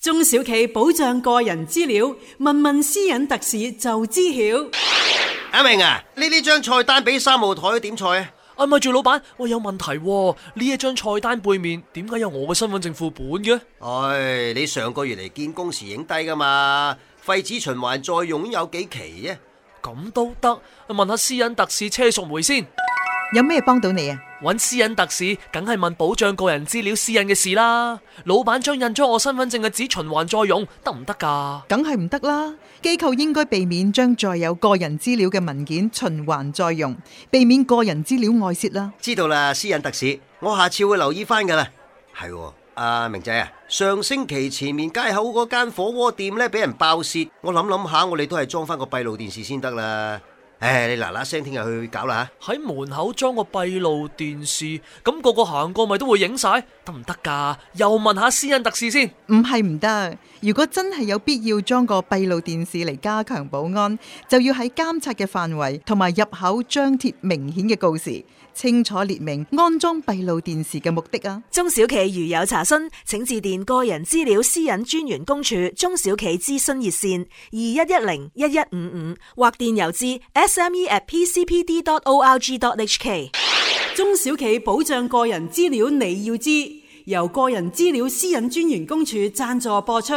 中小企保障個人資料，問問私隱特使就知曉。阿明啊，呢張菜單俾3號台點菜啊？咪住老闆，我有問題喎，呢一張菜單背面點解有我嘅身份證副本嘅？你上個月嚟見工時影低噶嘛？廢紙循環再用有幾期啫？咁都得？問下私隱特使車淑梅先。有咩幫到你啊？揾私隱特使梗係問保障個人資料私隱嘅事啦。老闆將印咗我身份證嘅紙循環再用得唔得㗎？梗係唔得啦。機構應該避免將載有個人資料嘅文件循環再用，避免個人資料外泄啦。知道啦，私隱特使，我下次會留意翻㗎啦。係阿明仔啊，上星期前面街口嗰間火鍋店呢，俾人爆竊，我諗下，我哋都係裝翻個閉路電視先得啦。你嗱嗱聲聽日去搞啦吓！喺門口裝個閉路電視，咁個個行過咪都會影晒，得唔得㗎？又問下私隱特使先。唔係唔得，如果真係有必要裝個閉路電視嚟加強保安，就要喺監察嘅範圍同埋入口張貼明顯嘅告示，清楚列明安裝閉路電視嘅目的啊！中小企如有查詢，請致電個人資料私隱專員公署中小企諮詢熱線21101155或電郵至sme@pcpd.org.hk。中小企保障個人資料你要知，由個人資料私隱專員公署贊助播出。